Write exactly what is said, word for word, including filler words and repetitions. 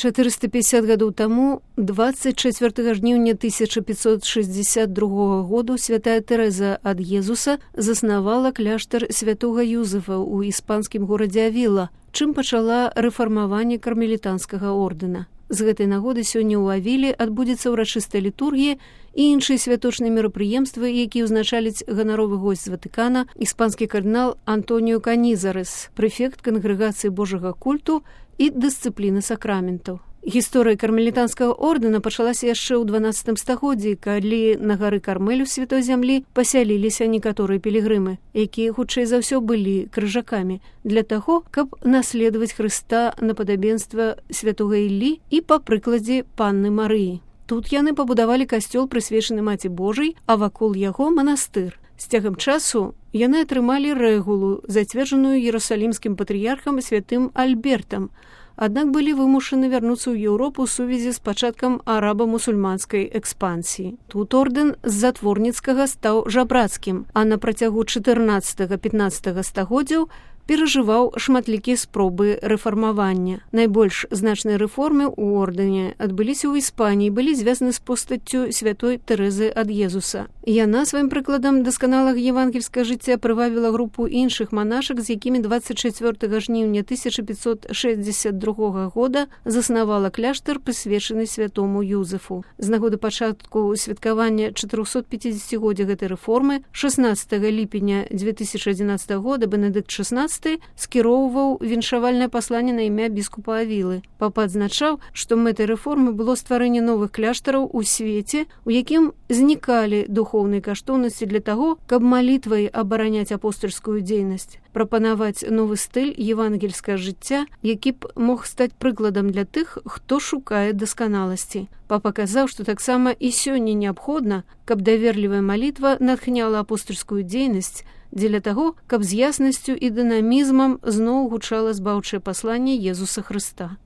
чатырыста пятьдесят гадоў таму, дваццаць чацвёртага жніўня тысяча пятьсот шестьдесят другога году святая Тэрэза ад Езуса заснавала кляштар святога Юзефа ў іспанскім горадзе Авіла, чым пачала рэфармаванне кармелітанскага ордэна. З гэтай нагоды сёння ў Авіле адбудзецца ўрачыстая літургія і іншыя святочныя мерапрыемствы, якія ўзначаліць ганаровы госць з Ватыкана, іспанскі кардынал Антоніо Канізарес, прэфект кангрэгацыі Божага культу і дысцыпліны сакраментаў. Гісторыя кармелітанскага ордэна пачалася яшчэ ў дванаццатым стагоддзі, калі на гары Кармель у святой зямлі пасяліліся некаторыя пілігрымы, якія хутчэй за ўсё былі крыжакамі, для таго, каб наследаваць Хрыста на падабенства святога Іллі і па прыкладзе панны Марыі. Тут яны пабудавалі касцёл, прысвечаны Маці Божай, а вакол яго манастыр. З цягам часу яны атрымалі рэгулу, зацверджаную Іерусалімскім патрыярхам святым Альбертам, аднак былі вымушаны вярнуцца ў Еўропу ў сувязі з пачаткам араба-мусульманскай экспансіі. Тут ордэн з затворніцкага стаў жабрацкім, а на працягу чатырнаццатага-пятнаццатага стагоддзяў перажываў шматлікія спробы рэфармавання. Найбольш значныя рэформы ў ордэне адбыліся ў Іспаніі, былі звязаны з постаццю святой Тэрэзы ад Езуса. Яна сваім прыкладам дасканалага евангельскага жыцця прывабіла групу іншых манашак, з якімі дваццаць чацвёртага жніўня тысяча пятьсот шестьдесят другога года заснавала кляштар, прысвечаны святому Юзефу. З нагоды пачатку святкавання чатырохсотпяцідзесяцігоддзя гэтай рэформы шаснаццатага ліпеня дзве тысячы адзінаццатага года Бенедыкт шаснаццаты скіроўваў віншавальнае пасланне на імя біскупа Авілы. Папа адзначаў, што мэтай рэформы было стварэнне новых кляштараў у свеце, у якім знікалі духоўныя каштоўнасці для таго, каб малітвай абараняць апостальскую дзейнасць, прапанаваць новы стыль евангельскага жыцця, які б мог стаць прыкладам для тых, хто шукае дасканаласці. Папа казаў, што таксама і сёння неабходна, каб даверлівая малітва натхняла апостальскую дзейнасць, дзеля таго, каб з яснасцю і дынамізмам зноў гучала збаўчае пасланне Езуса Хрыста.